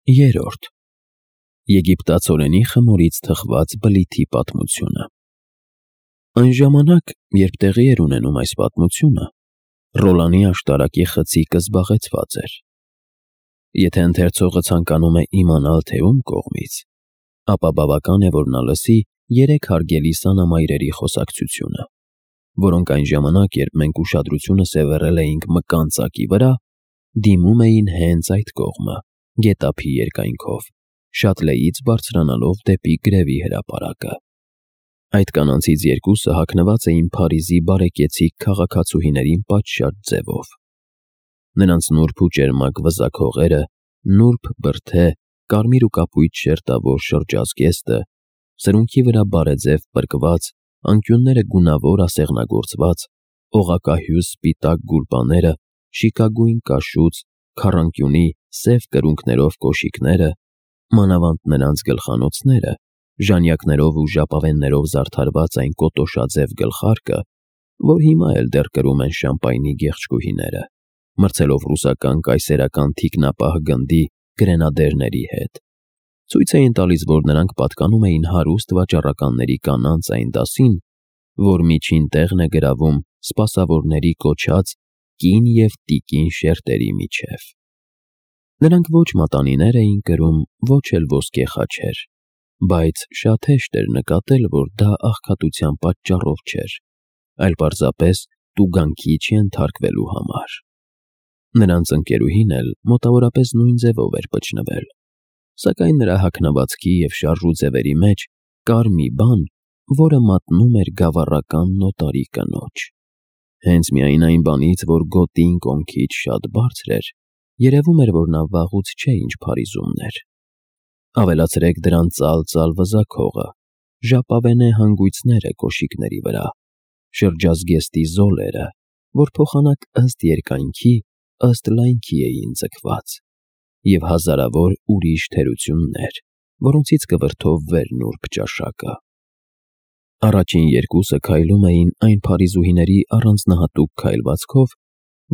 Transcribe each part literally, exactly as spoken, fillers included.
Երրորդ. Եգիպտացորենի խմորից թխված բլիթի պատմությունը։ Այն ժամանակ, երբ տեղի էր ունենում այս պատմությունը, Ռոլանի աշտարակի խցիկը զբաղեցված էր։ Եթե ընթերցողը ցանկանում է իմանալ, թե ում կողմից, ապա բավական է, որ նա լսի երեք հարգելի սանամայրերի խոսակցությունը, որոնք այն ժամանակ, երբ մենք ուշադրությունը սևեռել էինք մկան ծակի վրա, դիմում էին հենց այդ կողմը, գետափի երկայնքով, շատ լեից բարձրանալով դեպի գրևի հրապարակը։ Այդ կանանցից երկուսը հագնված էին Փարիզի բարեկեցիկ քաղաքացուհիներին պատշաճ ձևով։ Նրանց նուրբ ու ճերմակ վզակհողերը, նուրբ բրդե, կարմիր ու կապույտ շերտավոր շրջազգեստը, սրունքի վրա բարեձև պրկված, անկյունները գունավոր ասեղնագործված, օղակահյուս սպիտակ գուլպաները, շիկագույն կաշուծ, քառանկյունի, սև կրունկներով կոշիկները, մանավանդ նրանց գլխանոցները, ժանյակներով ու ժապավեններով զարդարված այն կոտոշաձև գլխարկը, որ հիմա էլ դեռ կրում են շամպայնի գեղեցկուհիները, մրցելով ռուսական կայսերական թիկնապահ գնդի գրենադերների հետ, ցույց էին տալիս, որ նրանք պատկանում էին հարուստ վաճառականների կանանց այն դասին, որ միջին տեղն է գրավում սպասավորների կոչած կին և տիկին շերտերի միջև։ Նրանք ոչ մատանիներ էին կրում, ոչ էլ ոսկե խաչեր, բայց շատ հեշտ էր նկատել, որ դա աղքատության պատճառով չէր, այլ պարզապես տուգանքի չենթարկվելու համար։ Նրանց ընկերուհին էլ մոտավորապես նույն ձևով էր պճնվել, սակայն նրա հագնվածքի և շարժու ձևերի մեջ կար մի բան, որը մատնում էր գավառական նոտարի կնոջ։ Հենց միայն այն բանից, որ գոտին կոնքից շատ բարձր էր, երևում էր, որ նա վաղուց չէ ինչ Փարիզումն էր։ Ավելացրեք դրան ծալ-ծալ վզակհողը, ժապավենե հանգույցները կոշիկների վրա, շրջազգեստի զոլերը, որ փոխանակ ըստ երկայնքի, ըստ լայնքի էին ձգված, և հազարավոր ուրիշ թերություններ, որոնցից կվրդովվեր նուրբ ճաշակը։ Առաջին երկուսը քայլում էին այն փարիզուհիների առանձնահատուկ քայլվածքով,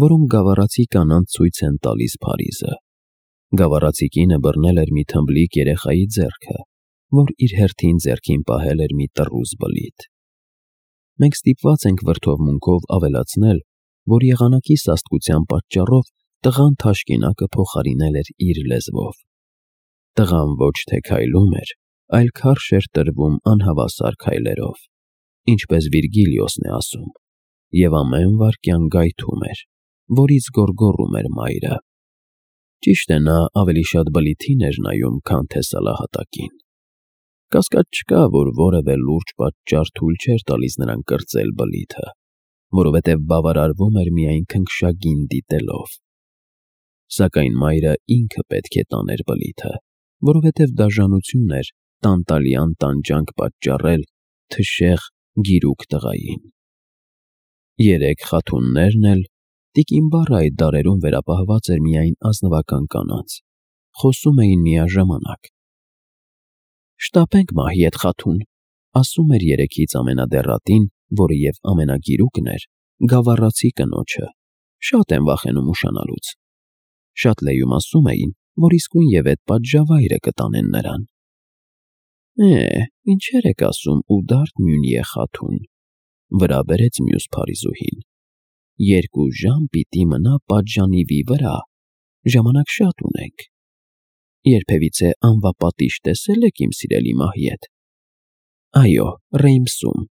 որոնք գավառացի կանանց ցույց են տալիս Փարիզը։ Գավառացի կինը բռնել էր մի թմբլիկ երեխայի ձեռքը, որ իր հերթին ձեռքին պահել էր մի տռուզ բլիթ։ Մենք ստիպված ենք վրդովմունքով ավելացնել, որ եղանակի սաստկության պատճառով տղան թաշկինակը փոխարինել էր իր լեզվով։ Տղան ոչ թե քայլում էր, այլ քարշ էր տրվում անհավասար քայլերով, ինչպես Վիրգիլիոսն է ասում, և ամեն վայրկյան գայթում էր, որից գոռգոռում էր մայրը։ Ճիշտ է, նա ավելի շատ բլիթին էր նայում, քան թե սալահատակին։ Կասկած չկա, որ որևէ լուրջ պատճառ թույլ չէր տալիս նրան կրծել բլիթը, որովհետև բավարարվում էր միայն քնքշագին դիտելով։ Սակայն մայրը ինքը պետք է տաներ բլիթը, որովհետև դաժանություն էր տանտալյան տանջանք պատճառել թշեղ, գիրուկ տղային։ Երեք խաթուններն էլ, տիկին բառը այդ դարերում վերապահված էր միայն ազնվական կանանց, խոսում էին միաժամանակ։ «Շտապենք մահի էդ խաթուն», ասում էր երեքից ամենադեռատին, որը և ամենագիրուկն էր, գավառացի կնոջը, շատ են վախենում ուշանալուց։ Շատ լեյում ասում էին, որ իսկույն էդ պատժավայրը կտանեն նրան։ «Է, ինչեր եք ասում, Ուդարդ Մյունիե խաթուն», վրա բերեց մյուս փարիզուհին։ «Երկու ժամ պիտի մնա պատժանիվի վրա, ժամանակ շատ ունենք։ Երբևիցե անվապատիժ տեսե՞լ եք իմ սիրելի մահի հետ»։ «Այո, Ռեյմսում»,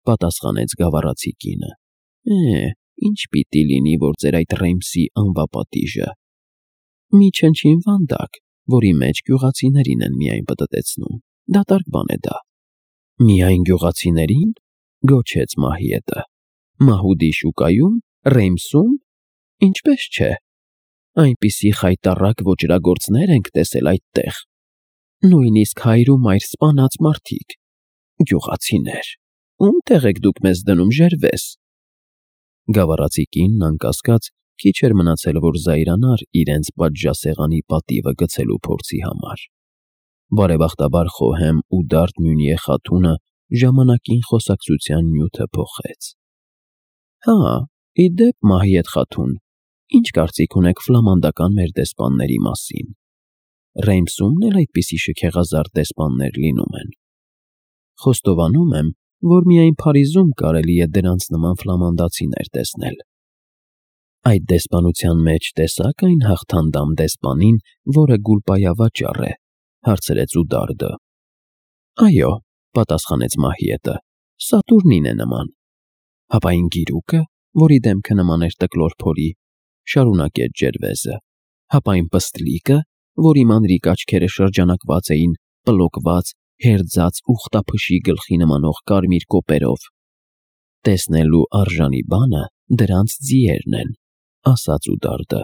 պատասխանեց գավառացի կինը։ «Է, ինչ պիտի լինի, որ ձեր այդ Ռեյմսի անվապատիժը։ Մի չնչին վանդակ, որի մեջ գյուղացիներին են միայն պտտեցնում, դատարկ բան է դա»։ «Միայն գյուղացիների՞ն», գոչեց Մահիետը։ «Մահուդի շուկայում, Ռեյմսում, ինչպես չէ։ Այնպիսի խայտառակ ոճրագործներ ենք տեսել այդտեղ, նույնիսկ հայր ու մայր սպանած մարդիկ։ Գյուղացիներ, ում տեղ եք դուք մեզ դնում, ժերվես»։ Գավառացի կինն անկասկած քիչ էր մնացել, որ զայրանար իրենց պատժասեղանի պատիվը գցելու փորձի համար։ Բարեբախտաբար խոհեմ Ուդարդ Մյունիե խաթունը ժամանակին խոսակցության նյութը փոխեց։ «Հա, ի դեպ, Մահիեդ խաթուն, ինչ կարծիք ունեք ֆլամանդական մեր դեսպանների մասին»։ Ռեյմսումն էլ այդպիսի շքեղազարդ դեսպաններ լինում են։ Խոստովանում եմ, որ միայն Փարիզում կարելի է դրանց նման ֆլամանդացիներ տեսնել։ Այդ դեսպանության մեջ տեսա՞ք այն հաղթանդամ դեսպանին, որը գուլպայավաճառ է, հարցրեց Ուդարդը։ Այո, պատասխանեց Մահիետը, Սատուրնին է նման։ Հապա այն գիրուկը, որի դեմքը նման էր տկլոր փորի, շարունակեց Ջերվեզը, հապա այն պստլիկը, որի մանրիկ աչքերը շրջանակված էին պլոկված, հերձած ուխտափշի գլխի նմանող կարմիր կոպերով։ Տեսնելու արժանի բանը դրանց ձիերն են, ասաց Ուդարդը,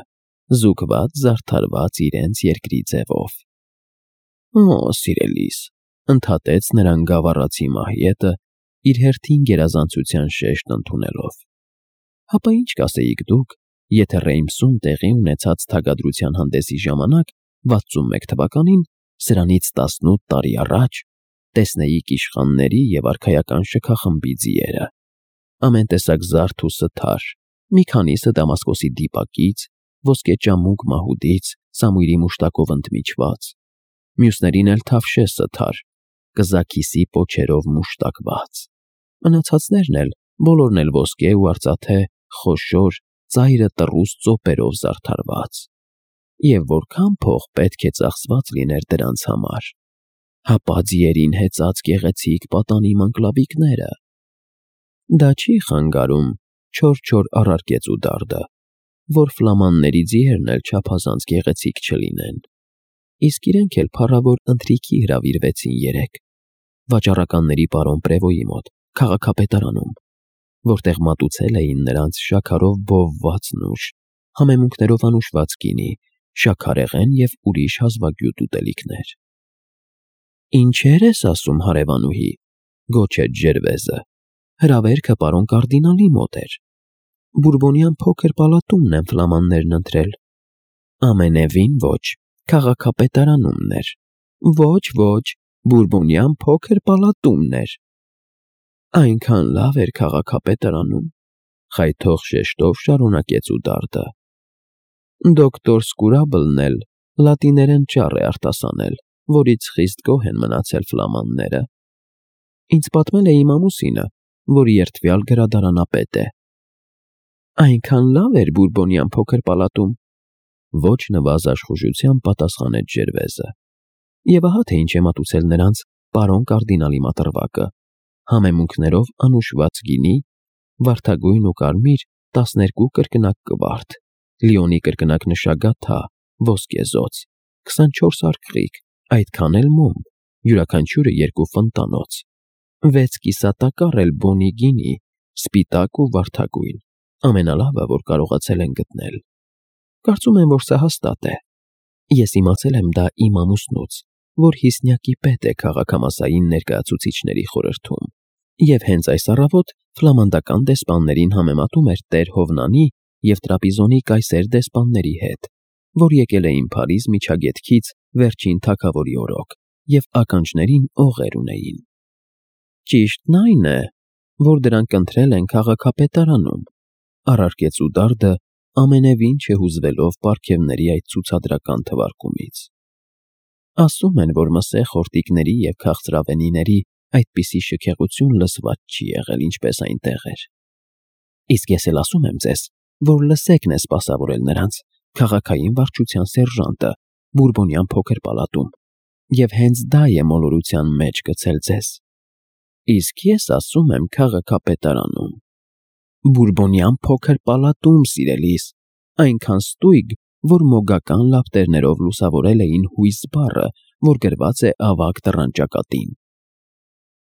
զուգված, զարդարված իրենց երկրի ձևով։ Օ, սիրելիս, ընդհատեց նրան գավառացի Մահիետը, իր հերթին գերազանցության շեշտ ընդունելով։ Հապա ինչ կասեիք դուք, եթե Ռեյմսում տեղի ունեցած թագադրության հանդեսի ժամանակ վաթսունմեկ թվականին, սրանից տասնութ տարի առաջ, տեսնեիք իշխանների և արքայական շքախմբի ձիերը, ամեն տեսակ զարդ ու սթար, մի քանիսը Դամասկոսի դիպակից, ոսկեճամուկ մահուդից, սամույրի մուշտակով ընդմիջված, մյուսներին էլ թավշե սթար, կզաքիսի պոչերով մուշտակված, մնացածներն էլ բոլորն էլ ոսկե ու արծաթե, խոշոր, ծայրը տռուս ծոպերով զարդարված։ Եվ որքան փող պետք է ծախսված լիներ դրանց համար, հապա ձիերին հեծած գեղեցիկ պատանի մանկլավիկները։ Դա չի խանգարում, չոր-չոր առարկեց Ուդարդը, որ ֆլամանների ձիերն էլ չափազանց գեղեցիկ չլինեն։ Իսկ իրենք էլ փառավոր ընթրիքի հրավիրվեցին երեկ, վաճառականների պարոն Պրևոյի մոտ, քաղաքապետարանում, որտեղ մատուցել էին նրանց շաքարով բովված նուշ, համեմունքներով անուշված գինի, շաքարեղեն և ուրիշ հազվագյուտ ուտելիքներ։ Ինչեր ես ասում, հարևանուհի, գոչեց Ջերվեզը, հրավերքը պարոն կարդինալի մոտ էր։ Բուրբոնյան փոքր պալատումն են ֆլամաններն ընտրել։ Ամենևին ոչ, քաղաքապետարանումն էր։ Ոչ, ոչ, Բուրբոնյան փոքր պալատումն էր։ Այնքան լավ էր քաղաքապետարանում, խայթող շեշտով շարունակեց Ուդարդը։ Դոկտոր Սկուրաբլն էլ լատիներեն ճառ է արտասանել, որից խիստ գոհ են մնացել ֆլամանները։ Ինձ պատմել է իմ ամուսինը, որ երդվյալ գրադարանապետ է։ Այնքան լավ էր Բուրբոնյան փոքր պալատում, ոչ նվազաշխուժությամբ պատասխանեց Ջերվեզը։ Եվ ահա թե ինչ է մատուցել նրանց պարոն կարդինալի մատրվակը, համեմունքներով անուշված գինի, վարդագույն ու կարմիր տասներկու կրկնակ կվարդ, լիոնի կրկնակ նշագաթա, ոսկեզոծ, քսանչորս արկղիկ, այդքան էլ մոմ, յուրաքանչյուրը երկու ֆնտանոց, վեց կիսատակառ էլ բոնի գինի, սպիտակ ու վարդագույն, ամենալավը, որ կարողացել են գտնել։ Կարծում եմ, որ սա հաստատ է։ Ես իմացել եմ դա իմ ամուսնուց, որ հիսնյակի պետ է քաղաքամասային ներկայացուցիչների խորհրդում, և հենց այս առավոտ ֆլամանդական դեսպաններին համեմատում էր տեր Հովնանի և Տրապիզոնի կայսեր դեսպանների հետ, որ եկել էին Փարիզ միջագետքից վերջին թագավորի օրոք և ականջներին օղեր ունեին։ Ճիշտն այն է, որ դրանք ընտրել են քաղաքապետարանում, առարկեց Ուդարդը, ամենևին չհուզվելով պարգևների այդ ցուցադրական թվարկումից։ Ասում են, որ մսե խորտիկների և քաղցրավենիների այդպիսի շքեղություն լսված չի եղել, ինչպես այնտեղ էր։ Իսկ ես էլ ասում եմ ձեզ, որ Լսեկն է սպասավորել նրանց, քաղաքային վարչության սերժանտը, Բուրբոնյան փոքր պալատում, և հենց դա է մոլորության մեջ գցել ձեզ։ Իսկ ես ասում եմ քաղաքապետարանում։ Բուրբոնյան փոքր պալատում, սիրելիս, այնքան ստույգ, որ մոգական լապտերներով լուսավորել էին հույս բառը, որ գրված է ավագ դռան ճակատին։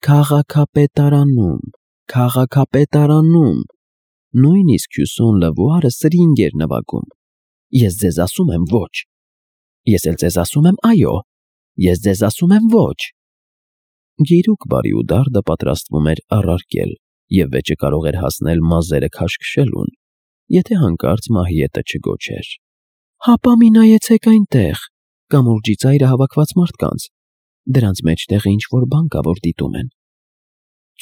Քաղաքապետարանում, քաղաքապետարանում, նույնիսկ Հյուսոն Լվուարը սրինգ էր նվագում։ Ես ձեզ ասում եմ ոչ։ Ես էլ ձեզ ասում եմ այո։ Ես ձեզ ասում եմ ոչ։ Գիրուկ բարի Ուդարդը պատրաստվում էր առարկել և վեճը կարող էր հասնել մազերը քաշքշելուն, եթե հանկարծ Մահիետը չգոչեր. Հապա մի նայեցեք այնտեղ, կամուրջի ծայրը հավաքված մարդկանց, դրանց մեջտեղ ինչ-որ բան կա, որ դիտում են։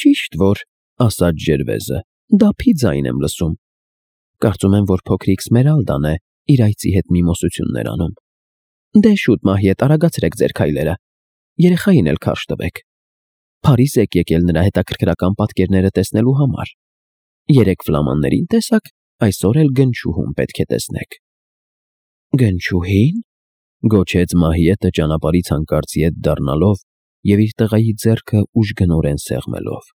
Ճիշտ որ, ասաց Ջերվեզը, դափի ձայն եմ լսում։ Կարծում եմ, որ փոքրիկ Սմերալդան է իր այծի հետ միմոսություններ անում։ Դե շուտ Մահիետ, արագացրեք ձեր քայլերը, երեխային էլ քարշ տվեք, Փարիզ եք եկել նրա հետաքրքրական պատկերները տեսնելու համար, երեք ֆլամաններին տեսաք, այսօր էլ գնչուհուն պետք է տեսնեք։ Գնչուհի՞ն, գոչեց Մահիետը ճանապարհից հանկարծ ետ դառնալով և իր տղայի ձեռքը ուժգնորեն սեղմելով։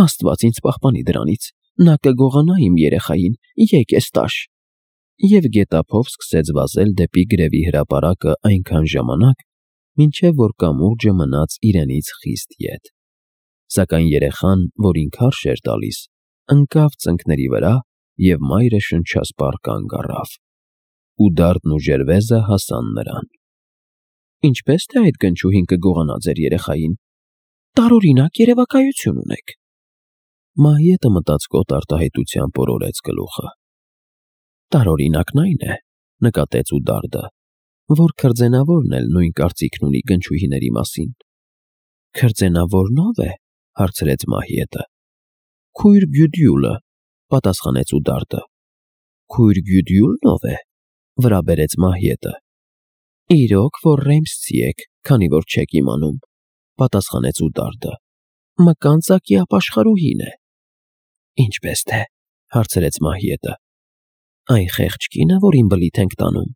Աստված ինձ պահպանի դրանից, նա կգողանա իմ երեխային, եկես տաշ։ Եվ գետափով սկսեց վազել դեպի գրևի հրապարակը այնքան ժամանակ, մինչև որ կամուրջը մնաց իրենից խիստ ետ։ Սակայն երեխան, որին քարշ էր տալիս, ընկավ ծնկների վրա և մայրը շնչասպառ կանգ առավ։ Ու դարդն ու ջերվեզը հասան նրան։ Ինչպե՞ս թե այդ գնչուհին կգողանա ձեր երեխային, տարօրինակ երևակայություն ունեք։ Մահիետը մտածկոտ արտահայտությամբ օրորեց գլուխը։ Տարօրինակն այն է, նկատեց Ուդարդը, որ քրձենավորն էլ նույն կարծիքն ունի գնչուհիների մասին։ Քրձենավորն ո՞վ է, հարցրեց Մահիետը։ Քույր Գյուդյուլը, պատասխանեց Ուդարդը։ Քույր Գյուդյուլն ո՞վ է, վրա բերեց Մահիետը։ Իրոք, որ Ռեյմսցի եք, քանի որ չեք իմանում, պատասխանեց Ուդարդը։ Մկանծակի ապաշխարուհին է։ Ինչպես թե, հարցրեց Մահիետը։ Այն խեղճ կինը, որին բլիթ ենք տանում։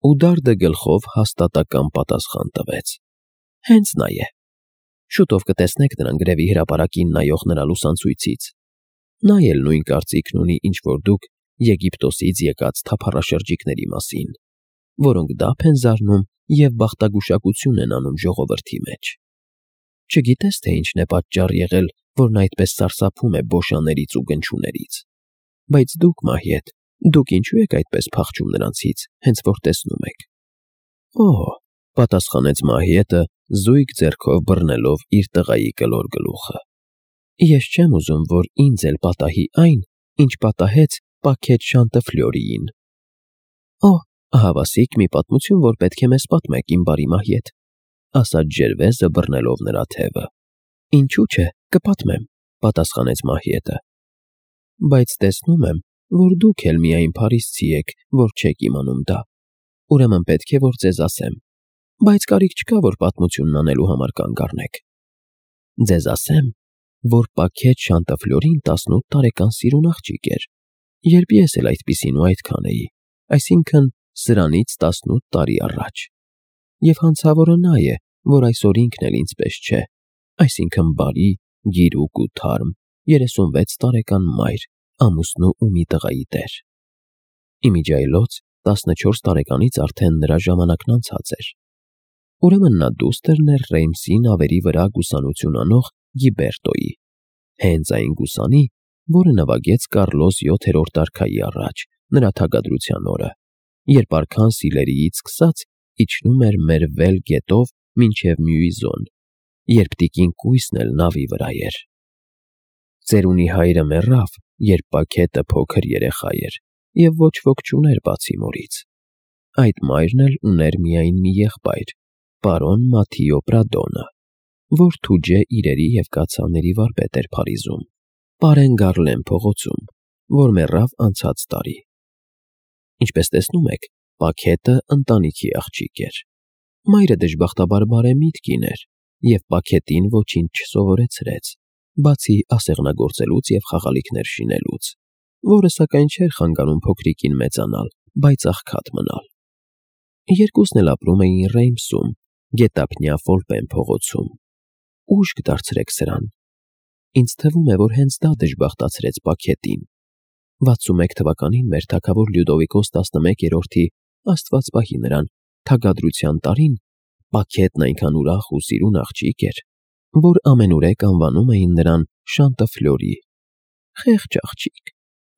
Ուդարդը գլխով հաստատակամ պատասխան տվեց։ Հենց նա է։ Շուտով կտեսնեք նրան գրևի հրապարակին նայող նրա լուսանցույցից։ Նա էլ նույն կարծիքն ունի, ինչ որ դուք Եգիպտոսից եկած թափառաշրջիկների մասին, որոնք դափ են զարնում և բախտագուշակություն են անում ժողովրդի մեջ։ Չգիտես, թե ինչն է պատճառ եղել, որ նա այդպես սարսափում է բոշաներից ու գնչուներից։ Բայց դուք, Մահիետ, դուք ինչու եք այդպես փախչում նրանցից, հենց որ տեսնում եք։ Օհ, պատասխանեց Մահիետը, զույգ ձեռքով բռնելով իր տղայի կլոր գլուխը։ Ես չեմ ուզում, որ ինձ էլ պատահի այն, ինչ պատահեց Պաքետ Շանտըֆլյորիին։ Օհ, ահավասիկ մի պատմություն, որ պետք է մեզ պատմեք, իմ բարի Մահիետ, ասաց ջերվեզը բռնելով նրա թևը։ Ինչու՞ չէ, կպատմեմ, պատասխանեց Մահիետը։ Բայց տեսնում եմ, որ դուք էլ միայն փարիզցի եք, որ չեք իմանում դա։ Ուրեմն պետք է, որ ձեզ ասեմ, բայց կարիք չկա, որ պատմությունն անելու համար կանգ առնեք։ Ձեզ ասեմ, որ Պաքետ Շանտըֆլյորին տասնութ տարեկան սիրուն աղջիկ էր, երբ ես էլ այդպիսին ու այդքան էի, այսինքն սրանից տասնութ տարի առաջ։ Եվ հանցավորը նա է, որ այսօր ինքն էլ ինձպես չէ, այսինքն բարի, գիրուկ ու թարմ, երեսունվեց տարեկան մայր, ամուսնու ու մի տղայի տեր։ Իմիջիայլոց տասնչորս տարեկանից արդեն նրա ժամանակն անցած էր։ Ուրեմն նա դուստրն էր Ռեյմսի նավերի վրա գուսանություն անող Գիբերտոյի, հենց այն գուսանի, որը նվագեց Կարլոս յոթերորդ արքայի առաջ, նրա թագադրության օրը, երբ արքան Սիլերիից սկսած իջնում էր մեր վել գետով մինչև Մյուիզոն, երբ տիկին կույսն էլ նավի վրա էր։ Ծերունի հայրը մեռավ, երբ Պաքետը փոքր երեխա էր, և ոչ ոք չուներ բացի մորից։ Այդ մայրն էլ ուներ միայն մի եղբայր, պարոն Մաթիո Պրադոնը, որ թուջե իրերի և կաթսաների վարպետ էր Փարիզում, Պարեն Գարլեն փողոցում, որ մեռավ անցած տարի։ Ինչպես տեսնում եք, Պաքետը ընտանիքի աղջիկ էր։ Մայրը դժբախտաբար բարեմիտ կին էր և Պաքետին ոչինչ չսովորեցրեց, բացի ասեղնագործելուց և խաղալիքներ շինելուց, որը սակայն չէր խանգարում փոքրիկին մեծանալ, բայց աղքատ մնալ։ Երկուսն էլ ապրում էին Ռեյմսում, գետափնյա Ֆոլպեն փողոցում։ Ուշք դարձրեք սրան։ Ինձ թվում է, որ հենց դա դժբախտացրեց Պաքետին։ վաթսունմեկ թվականին մեր թագավոր Լյուդովիկոս տասնմեկերորդի, Աստված պահի նրան, թագադրության տարին Պաքետն այնքան ուրախ ու սիրուն աղջիկ էր, որ ամենուրեք անվանում էին նրան Շանտըֆլյորի։ Խեղճ աղջիկ,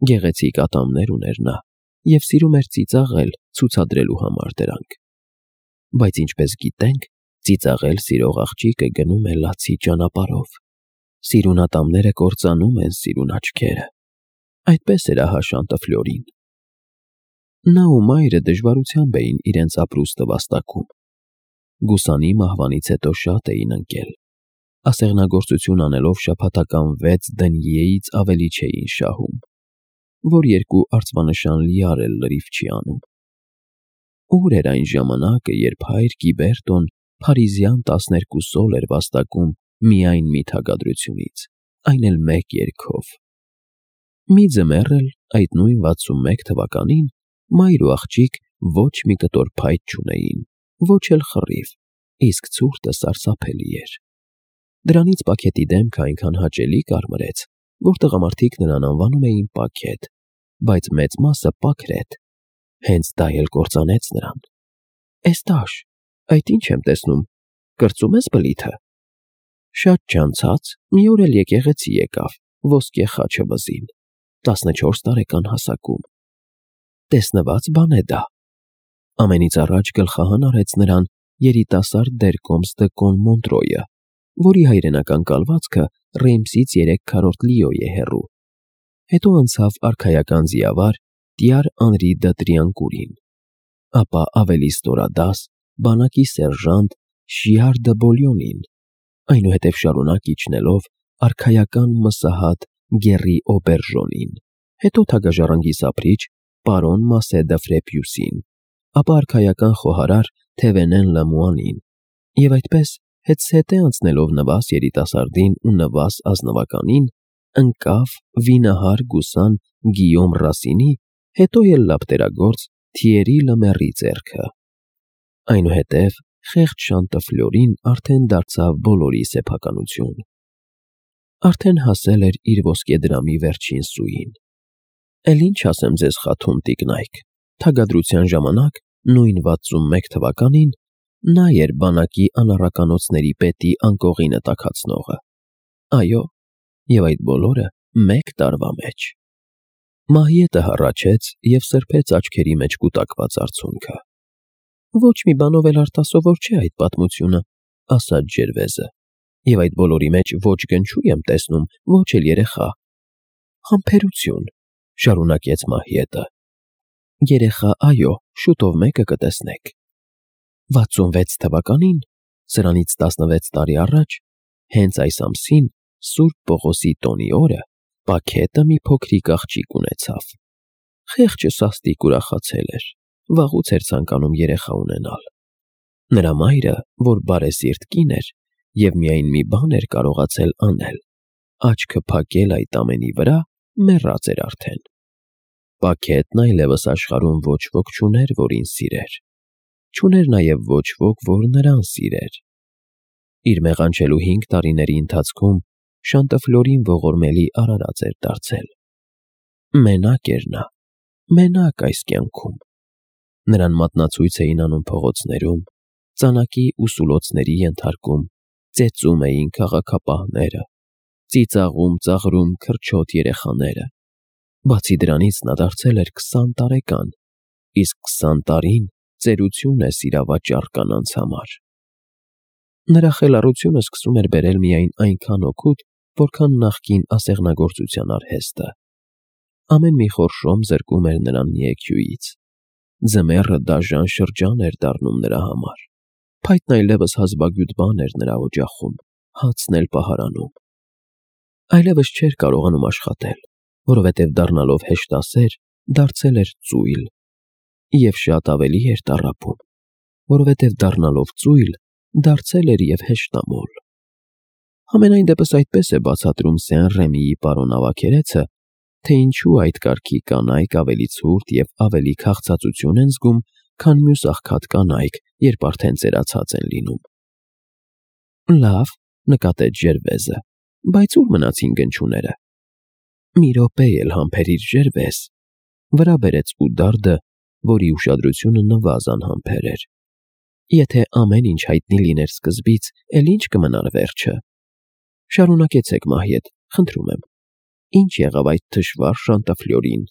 գեղեցիկ ատամներ ուներ նա և սիրում էր ծիծաղել, ցուցադրելու համար դրանք։ Բայց ինչպես գիտենք, ծիծաղել սիրող աղջիկը գնում է լացի ճանապարհով։ Սիրուն ատամները կործանում են սիրուն աչքերը։ Այդպես էր ահա Շանտըֆլյորին։ Նա ու մայրը դժվարությամբ էին իրենց ապրուստը վաստակում։ Գուսանի մահվանից հետո շատ էին ընկել։ Ասեղնագործություն անելով շաբաթական վեց դենյեից ավելի չէին շահում, որ երկու արծվանշան լիար էլ լրիվ չի անում։ Ուր էր այն ժամանակը, երբ հայր Գիբերտոն փարիզյան տասներկու սոլ էր վաստակում միայն մի թագադրությունից, այն էլ մեկ երգով։ Մի ձմեռ էլ այդ նույն վաթսունմեկ թվականին մայր ու աղջիկ ոչ մի կտոր փայտ չունեին, ոչ էլ խռիվ, իսկ ցուրտը սարսափելի էր։ Դրանից Պաքետի դեմքը այնքան հաճելի կարմրեց, որ տղամարդիկ նրան անվանում էին Պաքետ, բայց մեծ մասը Պաքրետ, հենց դա էլ կործանեց նրան։ Էս տաշ, այդ ինչ եմ տեսնում, կրծում ես բլիթը։ Շատ չանցած մի օր էլ եկեղեցի եկավ, ոսկե խաչը վզին, տասնչորս տարեկան հասակում։ Տեսնված բան է դա։ Ամենից առաջ գլխահան արեց նրան երիտասարդ Դերկոմստը կոն Մոնտրոյը, որի հայրենական կալվածքը Ռեյմսից երեք քառորդ լիոյ է հեռու։ Հետո անցավ արքայական ձիավար Տյար Անրի դը Տրիանկուրին, ապա ավելի ստորադաս բանակի սերժանտ Շիար դը Բոլյոնին, այնուհետև շարունակ իջնելով արքայական մսահատ Գերի Օբերժոնին, հետո թագաժառանգի սափրիչ պարոն Մասե դը Ֆրեպյուսին, ապա արքայական խոհարար Թևենեն Լամուանին, և այդպես հետզհետե անցնելով Նվաս երիտասարդին ու Նվաս ազնվականին, ընկավ վինահար գուսան Գիյոմ Ռասինի, հետո էլ լապտերագործ Թիերի Լեմեռի ձեռքը։ Այնուհետև խեղճ Շանտըֆլյորին արդեն դարձավ բոլորի սեփականություն։ Արդեն հասել էր իր ոսկեդրամի վերջին սուին։ Էլ ինչ ասեմ ձեզ խաթուն տիկնայք, թագադրության ժամանակ, նույն վաթսունմեկ թվականին, նա էր բանակի անառականոցների պետի անկողինը տաքացնողը։ Այո, և այդ բոլորը մեկ տարվա մեջ։ Մահիետը հառաչեց և սրբեց աչքերի մեջ կուտակված արցունքը։ Ոչ մի բանով էլ արտասովոր չէ այդ պատմությունը, ասաց Ջերվեզը, և այդ բոլորի մեջ ոչ գնչուй եմ տեսնում, ոչ էլ երեխա։ Համբերություն, շարունակեց Մահիետը։ Երեխա, այո, շուտով մեկը կտեսնեք։ վաթսունվեց թվականին, սրանից տասնվեց տարի առաջ, հենց այս ամսին, Սուրբ Պողոսի տոնի օրը, Պաքետը մի փոքրիկ աղջիկ ունեցավ։ Խեղճը սաստիկ ուրախացել էր, վաղուց էր ցանկանում երեխա ունենալ։ Նրա մայրը, որ բարեսիրտ կին էր և միայն մի բան էր կարողացել անել, աչքը փակել այդ ամենի վրա, մեռած էր արդեն։ Պաքետն այլևս աշխարհում ոչ ոք չուներ, որին սիրեր։ Չուներ նաև ոչ ոք, որ նրան սիրեր։ Իր մեղանչելու հինգ տարիների ընթացքում Շանտըֆլյորին ողորմելի արարած էր դարձել։ Մենակ էր նա, մենակ այս կյանքում։ Նրան մատնացույց էին անում փողոցներում, ծանակի ու սուլոցների ենթարկում, ծեծում էին քաղաքապահները, ծիծաղում ծաղրում քրչոտ երեխաները։ Բացի դրանից նա դարձել էր քսան տարեկան, իսկ քսան տարին ծերություն է սիրավաճառ կանանց համար։ Նրա խելառությունը սկսում էր բերել միայն այնքան օգուտ, որքան նախկին ասեղնագործության արհեստը։ Ամեն մի խորշոմ զրկում էր նրան մի էքյուից։ Ձմեռը դաժան շրջան էր դառնում նրա համար։ Փայտն այլևս հազվագյուտ բան էր նրա օջախում, հացն էլ պահարանում։ Այլևս չէր կարողանում աշխատել, որովհետև դառնալով հեշտասեր, դարձել էր ծույլ, և շատ ավելի էր տառապում, որովհետև դառնալով ծույլ, դարձել էր և հեշտամոլ։ Համենայն դեպս այդպես է բացատրում Սեն-Ռեմիի պարոն ավագերեցը, թե ինչու այդ կարգի կանայք ավելի ցուրտ և ավելի քաղցածություն են զգում, քան մյուս աղքատ կանայք, երբ արդեն ծերացած են լինում։ Լավ, նկատեց Ջերվեզը, բայց ուր մնացին գնչուները։ Մի րոպե էլ համբերիր, Ջերվեզ, վրա բերեց Ուդարդը, որի ուշադրությունը Նվազ անհամբեր էր։ Եթե ամեն ինչ հայտնի լիներ սկզբից, էլ ինչ կմնար վերջը։ Շարունակեցեք, Մահիետ, խնդրում եմ։ Ինչ եղավ այդ թշվառ Շանտըֆլյորին։